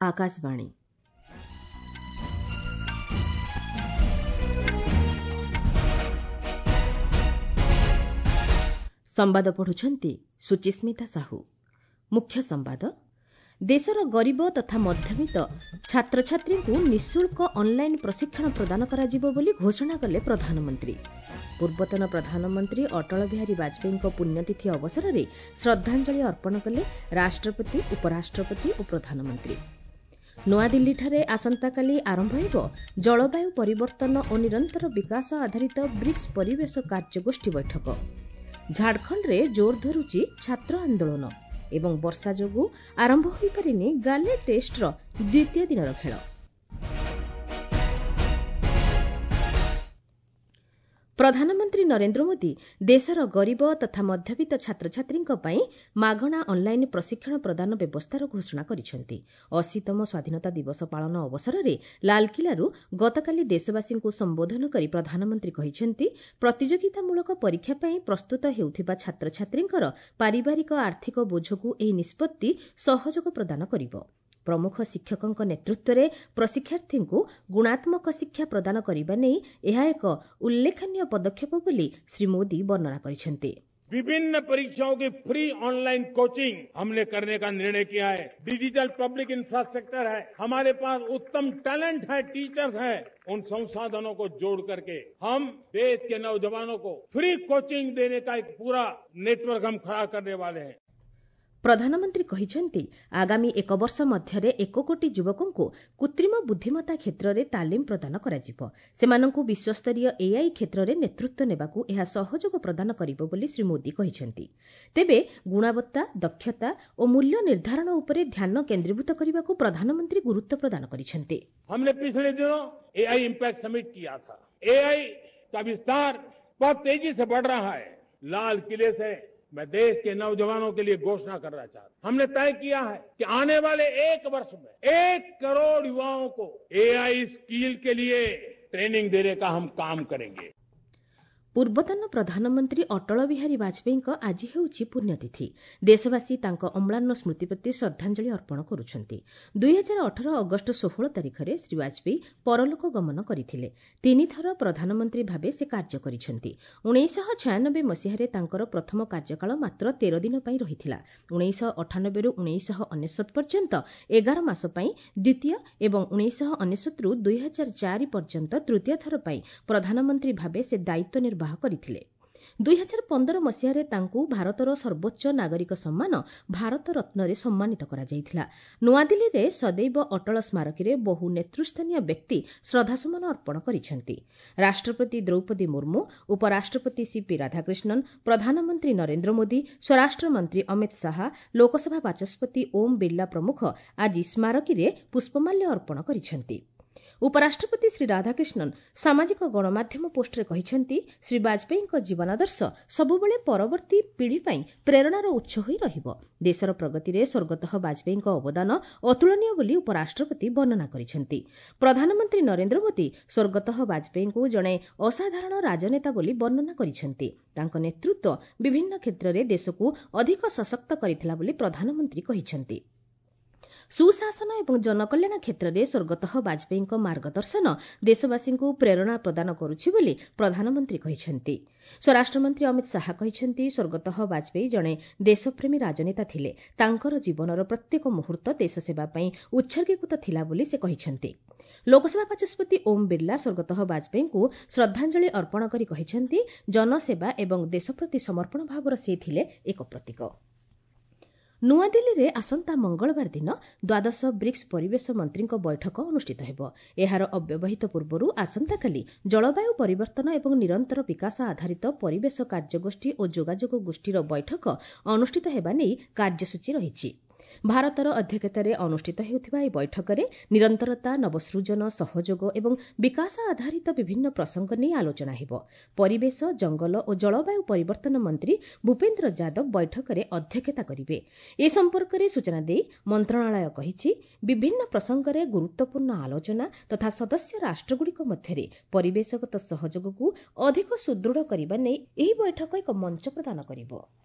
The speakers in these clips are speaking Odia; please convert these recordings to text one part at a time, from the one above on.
ଆକାଶବାଣୀ। ସମ୍ବାଦ ପଢୁଛନ୍ତି ସୁଚିସ୍ମିତା ସାହୁ। ମୁଖ୍ୟ ସମ୍ବାଦ। ଦେଶର ଗରିବ ତଥା ମଧ୍ୟବିତ୍ତ ଛାତ୍ରଛାତ୍ରୀଙ୍କୁ ନିଃଶୁଳ୍କ ଅନ୍ଲାଇନ୍ ପ୍ରଶିକ୍ଷଣ ପ୍ରଦାନ କରାଯିବ ବୋଲି ଘୋଷଣା କଲେ ପ୍ରଧାନମନ୍ତ୍ରୀ। ପୂର୍ବତନ ପ୍ରଧାନମନ୍ତ୍ରୀ ଅଟଳ ବିହାରୀ ବାଜପେୟୀଙ୍କ ପୁଣ୍ୟତିଥି ଅବସରରେ ଶ୍ରଦ୍ଧାଞ୍ଜଳି ଅର୍ପଣ କଲେ ରାଷ୍ଟ୍ରପତି, ଉପରାଷ୍ଟ୍ରପତି ଓ ପ୍ରଧାନମନ୍ତ୍ରୀ। ନୂଆଦିଲ୍ଲୀଠାରେ ଆସନ୍ତାକାଲି ଆରମ୍ଭ ହେବ ଜଳବାୟୁ ପରିବର୍ତ୍ତନ ଓ ନିରନ୍ତର ବିକାଶ ଆଧାରିତ ବ୍ରିକ୍ସ ପରିବେଶ କାର୍ଯ୍ୟଗୋଷ୍ଠୀ ବୈଠକ। ଝାଡ଼ଖଣ୍ଡରେ ଜୋର ଧରୁଛି ଛାତ୍ର ଆନ୍ଦୋଳନ ଏବଂ ବର୍ଷା ଯୋଗୁଁ ଆରମ୍ଭ ହୋଇପାରିନି ଗାଲେ ଟେଷ୍ଟର ଦ୍ୱିତୀୟ ଦିନର ଖେଳ। ପ୍ରଧାନମନ୍ତ୍ରୀ ନରେନ୍ଦ୍ର ମୋଦି ଦେଶର ଗରିବ ତଥା ମଧ୍ୟବିତ୍ତ ଛାତ୍ରଛାତ୍ରୀଙ୍କ ପାଇଁ ମାଗଣା ଅନ୍ଲାଇନ୍ ପ୍ରଶିକ୍ଷଣ ପ୍ରଦାନ ବ୍ୟବସ୍ଥାର ଘୋଷଣା କରିଛନ୍ତି। 80ତମ ସ୍ୱାଧୀନତା ଦିବସ ପାଳନ ଅବସରରେ ଲାଲ୍କିଲ୍ଲାରୁ ଗତକାଲି ଦେଶବାସୀଙ୍କୁ ସମ୍ବୋଧନ କରି ପ୍ରଧାନମନ୍ତ୍ରୀ କହିଛନ୍ତି, ପ୍ରତିଯୋଗିତାମୂଳକ ପରୀକ୍ଷା ପାଇଁ ପ୍ରସ୍ତୁତ ହେଉଥିବା ଛାତ୍ରଛାତ୍ରୀଙ୍କର ପାରିବାରିକ ଆର୍ଥିକ ବୋଝକୁ ଏହି ନିଷ୍ପତ୍ତି ସହଯୋଗ ପ୍ରଦାନ କରିବ। ପ୍ରମୁଖ ଶିକ୍ଷକଙ୍କ ନେତୃତ୍ୱରେ ପ୍ରଶିକ୍ଷାର୍ଥୀଙ୍କୁ ଗୁଣାତ୍ମକ ଶିକ୍ଷା ପ୍ରଦାନ କରିବା ନେଇ ଏହା ଏକ ଉଲ୍ଲେଖନୀୟ ପଦକ୍ଷେପ ବୋଲି ଶ୍ରୀ ମୋଦି ବର୍ଣ୍ଣନା କରିଛନ୍ତି। विभिन्न परीक्षाओं की फ्री ऑनलाइन कोचिंग हमने करने का निर्णय किया है। डिजिटल पब्लिक इंफ्रास्ट्रक्चर है, हमारे पास उत्तम टैलेंट है, टीचर्स हैं, उन संसाधनों को जोड़ करके हम देश के नौजवानों को फ्री कोचिंग देने का एक पूरा नेटवर्क हम खड़ा करने वाले हैं। ପ୍ରଧାନମନ୍ତ୍ରୀ କହିଛନ୍ତି, ଆଗାମୀ ଏକ ବର୍ଷ ମଧ୍ୟରେ 1 କୋଟି ଯୁବକଙ୍କୁ କୃତ୍ରିମ ବୁଦ୍ଧିମତ୍ତା କ୍ଷେତ୍ରରେ ତାଲିମ ପ୍ରଦାନ କରାଯିବ। ସେମାନଙ୍କୁ ବିଶ୍ୱସ୍ତରୀୟ ଏଆଇ କ୍ଷେତ୍ରରେ ନେତୃତ୍ୱ ନେବାକୁ ଏହା ସହଯୋଗ ପ୍ରଦାନ କରିବ ବୋଲି ଶ୍ରୀ ମୋଦି କହିଛନ୍ତି। ତେବେ ଗୁଣବତ୍ତା, ଦକ୍ଷତା ଓ ମୂଲ୍ୟ ନିର୍ଦ୍ଧାରଣ ଉପରେ ଧ୍ୟାନ କେନ୍ଦ୍ରୀଭୂତ କରିବାକୁ ପ୍ରଧାନମନ୍ତ୍ରୀ ଗୁରୁତ୍ୱ ପ୍ରଦାନ କରିଛନ୍ତି। हमने पिछले दिनों एआई इम्पैक्ट समिट किया था। एआई का विस्तार बहुत तेजी से बढ़ रहा है। लाल किले से मैं देश के नौजवानों के लिए घोषणा करना चाहता हूं। हमने तय किया है कि आने वाले एक वर्ष में 1 करोड़ युवाओं को एआई स्किल के लिए ट्रेनिंग देने का हम काम करेंगे। ପୂର୍ବତନ ପ୍ରଧାନମନ୍ତ୍ରୀ ଅଟଳ ବିହାରୀ ବାଜପେୟୀଙ୍କ ଆଜି ହେଉଛି ପୁଣ୍ୟତିଥି। ଦେଶବାସୀ ତାଙ୍କ ଅମ୍ଳାନ ସ୍ମୃତି ପ୍ରତି ଶ୍ରଦ୍ଧାଞ୍ଜଳି ଅର୍ପଣ କରୁଛନ୍ତି। 2018 ଅଗଷ୍ଟ 16 ତାରିଖରେ ଶ୍ରୀ ବାଜପେୟୀ ପରଲୋକ ଗମନ କରିଥିଲେ। ତିନିଥର ପ୍ରଧାନମନ୍ତ୍ରୀ ଭାବେ ସେ କାର୍ଯ୍ୟ କରିଛନ୍ତି। 1996 ମସିହାରେ ତାଙ୍କର ପ୍ରଥମ କାର୍ଯ୍ୟକାଳ ମାତ୍ର 13 ଦିନ ପାଇଁ ରହିଥିଲା। 1998ରୁ 1999 ପର୍ଯ୍ୟନ୍ତ 11 ମାସ ପାଇଁ ଦ୍ୱିତୀୟ ଏବଂ 1999ରୁ 2004 ପର୍ଯ୍ୟନ୍ତ ତୃତୀୟ ଥର ପାଇଁ ପ୍ରଧାନମନ୍ତ୍ରୀ ଭାବେ ସେ ଦାୟିତ୍ୱ ନିର୍ବାହ କରିଥିଲେ। 2015 ମସିହାରେ ତାଙ୍କୁ ଭାରତର ସର୍ବୋଚ୍ଚ ନାଗରିକ ସମ୍ମାନ ଭାରତ ରତ୍ନରେ ସମ୍ମାନିତ କରାଯାଇଥିଲା। ନୂଆଦିଲ୍ଲୀରେ ସଦୈବ ଅଟଳ ସ୍ମାରକୀରେ ବହୁ ନେତୃସ୍ଥାନୀୟ ବ୍ୟକ୍ତି ଶ୍ରଦ୍ଧାସୁମନ ଅର୍ପଣ କରିଛନ୍ତି। ରାଷ୍ଟ୍ରପତି ଦ୍ରୌପଦୀ ମୁର୍ମୁ, ଉପରାଷ୍ଟ୍ରପତି ସିପି ରାଧାକ୍ରିଷ୍ଣନ୍, ପ୍ରଧାନମନ୍ତ୍ରୀ ନରେନ୍ଦ୍ର ମୋଦି, ସ୍ୱରାଷ୍ଟ୍ରମନ୍ତ୍ରୀ ଅମିତ ଶାହା, ଲୋକସଭା ବାଚସ୍ପତି ଓମ୍ ବିର୍ଲା ପ୍ରମୁଖ ଆଜି ସ୍ମାରକୀରେ ପୁଷ୍ପମାଲ୍ୟ ଅର୍ପଣ କରିଛନ୍ତି। ଉପରାଷ୍ଟ୍ରପତି ଶ୍ରୀ ରାଧାକ୍ରିଷ୍ଣନ୍ ସାମାଜିକ ଗଣମାଧ୍ୟମ ପୋଷ୍ଟରେ କହିଛନ୍ତି, ଶ୍ରୀ ବାଜପେୟୀଙ୍କ ଜୀବନାଦର୍ଶ ସବୁବେଳେ ପରବର୍ତ୍ତୀ ପିଢ଼ି ପାଇଁ ପ୍ରେରଣାର ଉତ୍ସ ହୋଇ ରହିବ। ଦେଶର ପ୍ରଗତିରେ ସ୍ୱର୍ଗତଃ ବାଜପେୟୀଙ୍କ ଅବଦାନ ଅତୁଳନୀୟ ବୋଲି ଉପରାଷ୍ଟ୍ରପତି ବର୍ଣ୍ଣନା କରିଛନ୍ତି। ପ୍ରଧାନମନ୍ତ୍ରୀ ନରେନ୍ଦ୍ର ମୋଦି ସ୍ୱର୍ଗତଃ ବାଜପେୟୀଙ୍କୁ ଜଣେ ଅସାଧାରଣ ରାଜନେତା ବୋଲି ବର୍ଣ୍ଣନା କରିଛନ୍ତି। ତାଙ୍କ ନେତୃତ୍ୱ ବିଭିନ୍ନ କ୍ଷେତ୍ରରେ ଦେଶକୁ ଅଧିକ ସଶକ୍ତ କରିଥିଲା ବୋଲି ପ୍ରଧାନମନ୍ତ୍ରୀ କହିଛନ୍ତି। ସୁଶାସନ ଏବଂ ଜନକଲ୍ୟାଣ କ୍ଷେତ୍ରରେ ସ୍ୱର୍ଗତଃ ବାଜପେୟୀଙ୍କ ମାର୍ଗଦର୍ଶନ ଦେଶବାସୀଙ୍କୁ ପ୍ରେରଣା ପ୍ରଦାନ କରୁଛି ବୋଲି ପ୍ରଧାନମନ୍ତ୍ରୀ କହିଛନ୍ତି। ସ୍ୱରାଷ୍ଟ୍ରମନ୍ତ୍ରୀ ଅମିତ ଶାହା କହିଛନ୍ତି, ସ୍ୱର୍ଗତଃ ବାଜପେୟୀ ଜଣେ ଦେଶପ୍ରେମୀ ରାଜନେତା ଥିଲେ। ତାଙ୍କର ଜୀବନର ପ୍ରତ୍ୟେକ ମୁହୂର୍ତ୍ତ ଦେଶସେବା ପାଇଁ ଉତ୍ସର୍ଗୀକୃତ ଥିଲା ବୋଲି ସେ କହିଛନ୍ତି। ଲୋକସଭା ବାଚସ୍ପତି ଓମ୍ ବିର୍ଲା ସ୍ୱର୍ଗତଃ ବାଜପେୟୀଙ୍କୁ ଶ୍ରଦ୍ଧାଞ୍ଜଳି ଅର୍ପଣ କରି କହିଛନ୍ତି, ଜନସେବା ଏବଂ ଦେଶ ପ୍ରତି ସମର୍ପଣ ଭାବର ସେ ଥିଲେ ଏକ ପ୍ରତୀକ। ନୂଆଦିଲ୍ଲୀରେ ଆସନ୍ତା ମଙ୍ଗଳବାର ଦିନ ଦ୍ୱାଦଶ ବ୍ରିକ୍ସ ପରିବେଶ ମନ୍ତ୍ରୀଙ୍କ ବୈଠକ ଅନୁଷ୍ଠିତ ହେବ। ଏହାର ଅବ୍ୟବହିତ ପୂର୍ବରୁ ଆସନ୍ତାକାଲି ଜଳବାୟୁ ପରିବର୍ତ୍ତନ ଏବଂ ନିରନ୍ତର ବିକାଶ ଆଧାରିତ ପରିବେଶ କାର୍ଯ୍ୟଗୋଷ୍ଠୀ ଓ ଯୋଗାଯୋଗ ଗୋଷ୍ଠୀର ବୈଠକ ଅନୁଷ୍ଠିତ ହେବା ନେଇ କାର୍ଯ୍ୟସୂଚୀ ରହିଛି। ଭାରତର ଅଧ୍ୟକ୍ଷତାରେ ଅନୁଷ୍ଠିତ ହେଉଥିବା ଏହି ବୈଠକରେ ନିରନ୍ତରତା, ନବସୃଜନ, ସହଯୋଗ ଏବଂ ବିକାଶ ଆଧାରିତ ବିଭିନ୍ନ ପ୍ରସଙ୍ଗ ନେଇ ଆଲୋଚନା ହେବ। ପରିବେଶ, ଜଙ୍ଗଲ ଓ ଜଳବାୟୁ ପରିବର୍ତ୍ତନ ମନ୍ତ୍ରୀ ଭୂପେନ୍ଦ୍ର ଯାଦବ ବୈଠକରେ ଅଧ୍ୟକ୍ଷତା କରିବେ। ଏ ସମ୍ପର୍କରେ ସୂଚନା ଦେଇ ମନ୍ତ୍ରଣାଳୟ କହିଛି, ବିଭିନ୍ନ ପ୍ରସଙ୍ଗରେ ଗୁରୁତ୍ୱପୂର୍ଣ୍ଣ ଆଲୋଚନା ତଥା ସଦସ୍ୟ ରାଷ୍ଟ୍ରଗୁଡ଼ିକ ମଧ୍ୟରେ ପରିବେଶଗତ ସହଯୋଗକୁ ଅଧିକ ସୁଦୃଢ଼ କରିବା ନେଇ ଏହି ବୈଠକ ଏକ ମଞ୍ଚ ପ୍ରଦାନ କରିବ।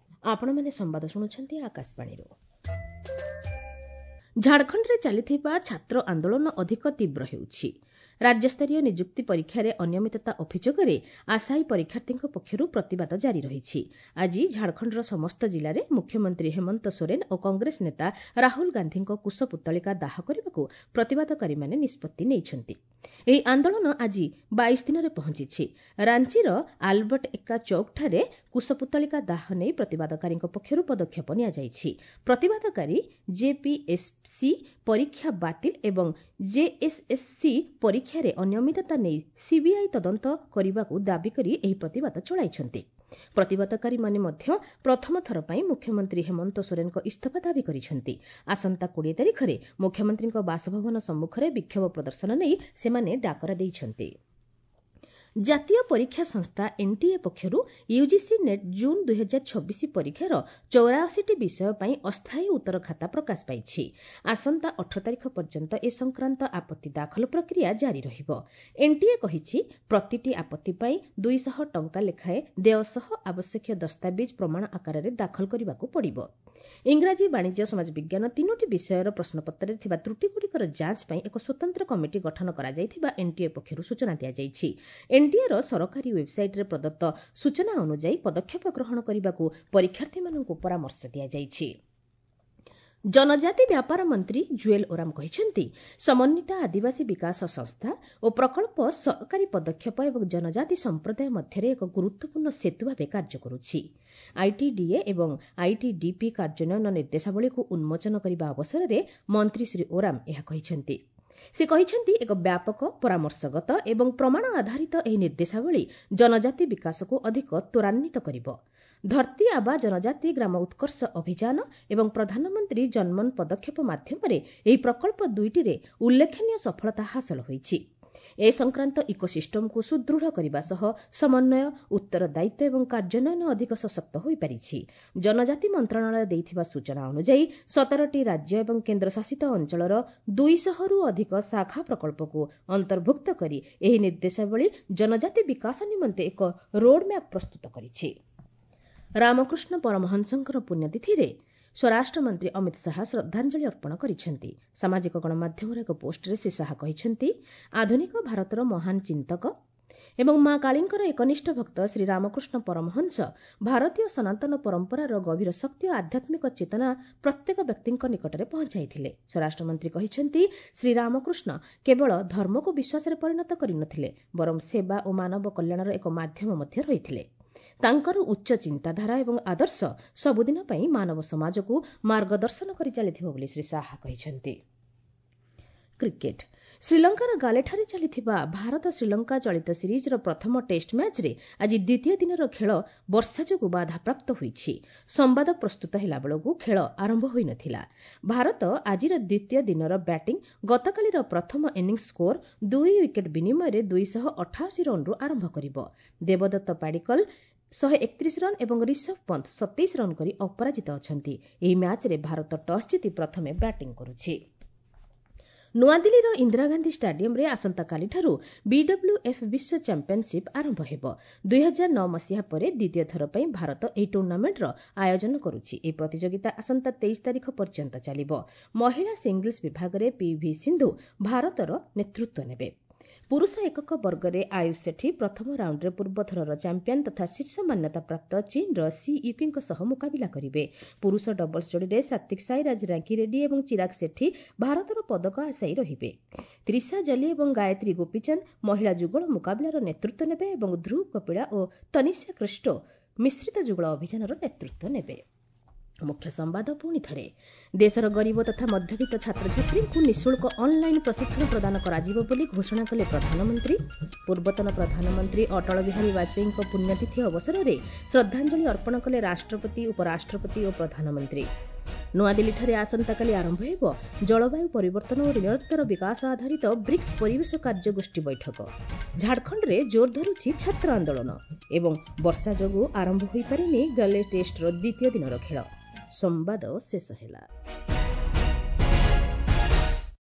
ଆପଣମାନେ ସମ୍ବାଦ ଶୁଣୁଛନ୍ତି ଆକାଶବାଣୀରୁ। ଝାଡ଼ଖଣ୍ଡରେ ଚାଲିଥିବା ଛାତ୍ର ଆନ୍ଦୋଳନ ଅଧିକ ତୀବ୍ର ହେଉଛି। ରାଜ୍ୟସ୍ତରୀୟ ନିଯୁକ୍ତି ପରୀକ୍ଷାରେ ଅନିୟମିତତା ଅଭିଯୋଗରେ ଆଶାୟୀ ପରୀକ୍ଷାର୍ଥୀଙ୍କ ପକ୍ଷରୁ ପ୍ରତିବାଦ ଜାରି ରହିଛି। ଆଜି ଝାଡ଼ଖଣ୍ଡର ସମସ୍ତ ଜିଲ୍ଲାରେ ମୁଖ୍ୟମନ୍ତ୍ରୀ ହେମନ୍ତ ସୋରେନ ଓ କଂଗ୍ରେସ ନେତା ରାହୁଲ ଗାନ୍ଧୀଙ୍କ କୁଶପୁତ୍ତଳିକା ଦାହ କରିବାକୁ ପ୍ରତିବାଦକାରୀମାନେ ନିଷ୍ପତ୍ତି ନେଇଛନ୍ତି। ଏହି ଆନ୍ଦୋଳନ ଆଜି 22 ଦିନରେ ପହଞ୍ଚିଛି। ରାଞ୍ଚିର ଆଲବର୍ଟ ଏକ୍କା ଚୌକଠାରେ କୁଶପୁତ୍ତଳିକା ଦାହ ନେଇ ପ୍ରତିବାଦକାରୀଙ୍କ ପକ୍ଷରୁ ପଦକ୍ଷେପ ନିଆଯାଇଛି। ପ୍ରତିବାଦକାରୀ ଜେପିଏସ୍ସି ପରୀକ୍ଷା ବାତିଲ ଏବଂ ଜେଏସ୍ଏସ୍ସି ପରୀକ୍ଷାରେ ଅନିୟମିତତା ନେଇ ସିବିଆଇ ତଦନ୍ତ କରିବାକୁ ଦାବି କରି ଏହି ପ୍ରତିବାଦ ଚଳାଇଛନ୍ତି। ପ୍ରତିବାଦକାରୀମାନେ ମଧ୍ୟ ପ୍ରଥମ ଥର ପାଇଁ ମୁଖ୍ୟମନ୍ତ୍ରୀ ହେମନ୍ତ ସୋରେନଙ୍କ ଇସ୍ତଫା ଦାବି କରିଛନ୍ତି। ଆସନ୍ତା 20 ତାରିଖରେ ମୁଖ୍ୟମନ୍ତ୍ରୀଙ୍କ ବାସଭବନ ସମ୍ମୁଖରେ ବିକ୍ଷୋଭ ପ୍ରଦର୍ଶନ ନେଇ ସେମାନେ ଡାକରା ଦେଇଛନ୍ତି। ଜାତୀୟ ପରୀକ୍ଷା ସଂସ୍ଥା ଏନ୍ଟିଏ ପକ୍ଷରୁ ୟୁଜିସି ନେଟ୍ ଜୁନ୍ 2026 ପରୀକ୍ଷାର 84ଟି ବିଷୟ ପାଇଁ ଅସ୍ଥାୟୀ ଉତ୍ତର ଖାତା ପ୍ରକାଶ ପାଇଛି। ଆସନ୍ତା 18 ତାରିଖ ପର୍ଯ୍ୟନ୍ତ ଏ ସଂକ୍ରାନ୍ତ ଆପତ୍ତି ଦାଖଲ ପ୍ରକ୍ରିୟା ଜାରି ରହିବ। ଏନ୍ଟିଏ କହିଛି, ପ୍ରତିଟି ଆପତ୍ତି ପାଇଁ 200 ଟଙ୍କା ଲେଖାଏଁ ଦେୟ ସହ ଆବଶ୍ୟକୀୟ ଦସ୍ତାବିଜ୍ ପ୍ରମାଣ ଆକାରରେ ଦାଖଲ କରିବାକୁ ପଡ଼ିବ। ଇଂରାଜୀ, ବାଣିଜ୍ୟ, ସମାଜବିଜ୍ଞାନ ତିନୋଟି ବିଷୟର ପ୍ରଶ୍ନପତ୍ରରେ ଥିବା ତ୍ରୁଟିଗୁଡ଼ିକର ଯାଞ୍ଚ ପାଇଁ ଏକ ସ୍ୱତନ୍ତ୍ର କମିଟି ଗଠନ କରାଯାଇଥିବା ଏନ୍ଟିଏ ପକ୍ଷରୁ ସୂଚନା ଦିଆଯାଇଛି। ଏନ୍ଟିଏର ସରକାରୀ ୱେବ୍ସାଇଟ୍ରେ ପ୍ରଦତ୍ତ ସୂଚନା ଅନୁଯାୟୀ ପଦକ୍ଷେପ ଗ୍ରହଣ କରିବାକୁ ପରୀକ୍ଷାର୍ଥୀମାନଙ୍କୁ ପରାମର୍ଶ ଦିଆଯାଇଛି। ଜନଜାତି ବ୍ୟାପାର ମନ୍ତ୍ରୀ ଜୁଏଲ ଓରାମ କହିଛନ୍ତି, ସମନ୍ୱିତ ଆଦିବାସୀ ବିକାଶ ସଂସ୍ଥା ଓ ପ୍ରକଳ୍ପ ସରକାରୀ ପଦକ୍ଷେପ ଏବଂ ଜନଜାତି ସମ୍ପ୍ରଦାୟ ମଧ୍ୟରେ ଏକ ଗୁରୁତ୍ୱପୂର୍ଣ୍ଣ ସେତୁ ଭାବେ କାର୍ଯ୍ୟ କରୁଛି। ଆଇଟିଡିଏ ଏବଂ ଆଇଟିଡିପି କାର୍ଯ୍ୟାନ୍ୱୟନ ନିର୍ଦ୍ଦେଶାବଳୀକୁ ଉନ୍ମୋଚନ କରିବା ଅବସରରେ ମନ୍ତ୍ରୀ ଶ୍ରୀ ଓରାମ ଏହା କହିଛନ୍ତି। ସେ କହିଛନ୍ତି, ଏକ ବ୍ୟାପକ, ପରାମର୍ଶଗତ ଏବଂ ପ୍ରମାଣ ଆଧାରିତ ଏହି ନିର୍ଦ୍ଦେଶାବଳୀ ଜନଜାତି ବିକାଶକୁ ଅଧିକ ତ୍ୱରାନ୍ୱିତ କରିବ। ଧରତୀ ଆବା ଜନଜାତି ଗ୍ରାମ ଉତ୍କର୍ଷ ଅଭିଯାନ ଏବଂ ପ୍ରଧାନମନ୍ତ୍ରୀ ଜନମନ ପଦକ୍ଷେପ ମାଧ୍ୟମରେ ଏହି ପ୍ରକଳ୍ପ ଦୁଇଟିରେ ଉଲ୍ଲେଖନୀୟ ସଫଳତା ହାସଲ ହୋଇଛି। ଏ ସଂକ୍ରାନ୍ତ ଇକୋସିଷ୍ଟମକୁ ସୁଦୃଢ଼ କରିବା ସହ ସମନ୍ୱୟ, ଉତ୍ତରଦାୟିତ୍ୱ ଏବଂ କାର୍ଯ୍ୟାନ୍ୱୟନ ଅଧିକ ସଶକ୍ତ ହୋଇପାରିଛି। ଜନଜାତି ମନ୍ତ୍ରଣାଳୟ ଦେଇଥିବା ସୂଚନା ଅନୁଯାୟୀ 17ଟି ରାଜ୍ୟ ଏବଂ କେନ୍ଦ୍ରଶାସିତ ଅଞ୍ଚଳର 200ରୁ ଅଧିକ ଶାଖା ପ୍ରକଳ୍ପକୁ ଅନ୍ତର୍ଭୁକ୍ତ କରି ଏହି ନିର୍ଦ୍ଦେଶାବଳୀ ଜନଜାତି ବିକାଶ ନିମନ୍ତେ ଏକ ରୋଡ୍ମ୍ୟାପ୍ ପ୍ରସ୍ତୁତ କରିଛି। ରାମକୃଷ୍ଣ ପରମହଂସଙ୍କର ପୁଣ୍ୟତିଥିରେ ସ୍ୱରାଷ୍ଟ୍ରମନ୍ତ୍ରୀ ଅମିତ ଶାହା ଶ୍ରଦ୍ଧାଞ୍ଜଳି ଅର୍ପଣ କରିଛନ୍ତି। ସାମାଜିକ ଗଣମାଧ୍ୟମର ଏକ ପୋଷ୍ଟରେ ଶ୍ରୀ ଶାହା କହିଛନ୍ତି, ଆଧୁନିକ ଭାରତର ମହାନ ଚିନ୍ତକ ଏବଂ ମା କାଳୀଙ୍କର ଏକନିଷ୍ଠ ଭକ୍ତ ଶ୍ରୀ ରାମକୃଷ୍ଣ ପରମହଂସ ଭାରତୀୟ ସନାତନ ପରମ୍ପରାର ଗଭୀର ଶକ୍ତି ଓ ଆଧ୍ୟାତ୍ମିକ ଚେତନା ପ୍ରତ୍ୟେକ ବ୍ୟକ୍ତିଙ୍କ ନିକଟରେ ପହଞ୍ଚାଇଥିଲେ। ସ୍ୱରାଷ୍ଟ୍ରମନ୍ତ୍ରୀ କହିଛନ୍ତି, ଶ୍ରୀରାମକୃଷ୍ଣ କେବଳ ଧର୍ମକୁ ବିଶ୍ୱାସରେ ପରିଣତ କରିନଥିଲେ, ବରଂ ସେବା ଓ ମାନବ କଲ୍ୟାଣର ଏକ ମାଧ୍ୟମ ମଧ୍ୟ ରହିଥିଲେ। ତାଙ୍କର ଉଚ୍ଚ ଚିନ୍ତାଧାରା ଏବଂ ଆଦର୍ଶ ସବୁଦିନ ପାଇଁ ମାନବ ସମାଜକୁ ମାର୍ଗଦର୍ଶନ କରି ଚାଲିଥିବ ବୋଲି ଶ୍ରୀ ଶାହା କହିଛନ୍ତି। କ୍ରିକେଟ। ଶ୍ରୀଲଙ୍କାର ଗାଲେଠାରେ ଚାଲିଥିବା ଭାରତ ଶ୍ରୀଲଙ୍କା ଚଳିତ ସିରିଜ୍ର ପ୍ରଥମ ଟେଷ୍ଟ ମ୍ୟାଚ୍ରେ ଆଜି ଦ୍ୱିତୀୟ ଦିନର ଖେଳ ବର୍ଷା ଯୋଗୁଁ ବାଧାପ୍ରାପ୍ତ ହୋଇଛି। ସମ୍ବାଦ ପ୍ରସ୍ତୁତ ହେଲାବେଳକୁ ଖେଳ ଆରମ୍ଭ ହୋଇନଥିଲା। ଭାରତ ଆଜିର ଦ୍ୱିତୀୟ ଦିନର ବ୍ୟାଟିଂ ଗତକାଲିର ପ୍ରଥମ ଇନିଂସ ସ୍କୋର 2 ୱିକେଟ୍ ବିନିମୟରେ 288 ରନ୍ରୁ ଆରମ୍ଭ କରିବ। ଦେବଦତ୍ତ ପାଡିକଲ 131 ରନ୍ ଏବଂ ରିଷଭ ପନ୍ତ 27 ରନ୍ କରି ଅପରାଜିତ ଅଛନ୍ତି। ଏହି ମ୍ୟାଚ୍ରେ ଭାରତ ଟସ୍ ଜିତି ପ୍ରଥମେ ବ୍ୟାଟିଂ କରୁଛି। ନୂଆଦିଲ୍ଲୀର ଇନ୍ଦିରାଗାନ୍ଧୀ ଷ୍ଟାଡିୟମରେ ଆସନ୍ତାକାଲିଠାରୁ ବିଡବ୍ଲ୍ୟୁଏଫ୍ ବିଶ୍ୱ ଚାମ୍ପିୟନସିପ୍ ଆରମ୍ଭ ହେବ। 2009 ମସିହା ପରେ ଦ୍ୱିତୀୟ ଥର ପାଇଁ ଭାରତ ଏହି ଟୁର୍ଣ୍ଣାମେଣ୍ଟର ଆୟୋଜନ କରୁଛି। ଏହି ପ୍ରତିଯୋଗିତା ଆସନ୍ତା 23 ତାରିଖ ପର୍ଯ୍ୟନ୍ତ ଚାଲିବ। ମହିଳା ସିଙ୍ଗଲ୍ସ ବିଭାଗରେ ପିଭି ସିନ୍ଧୁ ଭାରତର ନେତୃତ୍ୱ ନେବେ। ପୁରୁଷ ଏକକ ବର୍ଗରେ ଆୟୁଷ ସେଠୀ ପ୍ରଥମ ରାଉଣ୍ଡରେ ପୂର୍ବଥରର ଚାମ୍ପିୟନ ତଥା ଶୀର୍ଷ ମାନ୍ୟତାପ୍ରାପ୍ତ ଚୀନ୍ର ସି ୟୁକିଙ୍କ ସହ ମୁକାବିଲା କରିବେ। ପୁରୁଷ ଡବଲ୍ସ ଯୋଡ଼ିରେ ସାତ୍ୱିକ ସାଇରାଜ ରାଙ୍କି ରେଡ୍ଡୀ ଏବଂ ଚିରାଗ ସେଠୀ ଭାରତର ପଦକ ଆଶାୟୀ ରହିବେ। ତ୍ରିଶା ଜଲି ଏବଂ ଗାୟତ୍ରୀ ଗୋପୀଚାନ୍ଦ ମହିଳା ଯୁଗଳ ମୁକାବିଲାର ନେତୃତ୍ୱ ନେବେ ଏବଂ ଧ୍ରୁବ କପିଳା ଓ ତନିଷା କ୍ରିଷ୍ଟୋ ମିଶ୍ରିତ ଯୁଗଳ ଅଭିଯାନର ନେତୃତ୍ୱ ନେବେ। ମୁଖ୍ୟ ସମ୍ବାଦ ପୁଣି ଥରେ। ଦେଶର ଗରିବ ତଥା ମଧ୍ୟବିତ୍ତ ଛାତ୍ରଛାତ୍ରୀଙ୍କୁ ନିଃଶୁଳ୍କ ଅନ୍ଲାଇନ୍ ପ୍ରଶିକ୍ଷଣ ପ୍ରଦାନ କରାଯିବ ବୋଲି ଘୋଷଣା କଲେ ପ୍ରଧାନମନ୍ତ୍ରୀ। ପୂର୍ବତନ ପ୍ରଧାନମନ୍ତ୍ରୀ ଅଟଳ ବିହାରୀ ବାଜପେୟୀଙ୍କ ପୁଣ୍ୟତିଥି ଅବସରରେ ଶ୍ରଦ୍ଧାଞ୍ଜଳି ଅର୍ପଣ କଲେ ରାଷ୍ଟ୍ରପତି, ଉପରାଷ୍ଟ୍ରପତି ଓ ପ୍ରଧାନମନ୍ତ୍ରୀ। ନୂଆଦିଲ୍ଲୀଠାରେ ଆସନ୍ତାକାଲି ଆରମ୍ଭ ହେବ ଜଳବାୟୁ ପରିବର୍ତ୍ତନ ଓ ନିରନ୍ତର ବିକାଶ ଆଧାରିତ ବ୍ରିକ୍ସ ପରିବେଶ କାର୍ଯ୍ୟଗୋଷ୍ଠୀ ବୈଠକ। ଝାଡ଼ଖଣ୍ଡରେ ଜୋର ଧରୁଛି ଛାତ୍ର ଆନ୍ଦୋଳନ ଏବଂ ବର୍ଷା ଯୋଗୁଁ ଆରମ୍ଭ ହୋଇପାରିନି ଗଲେ ଟେଷ୍ଟର ଦ୍ୱିତୀୟ ଦିନର ଖେଳ। ସମ୍ବାଦ ଶେଷ ହେଲା।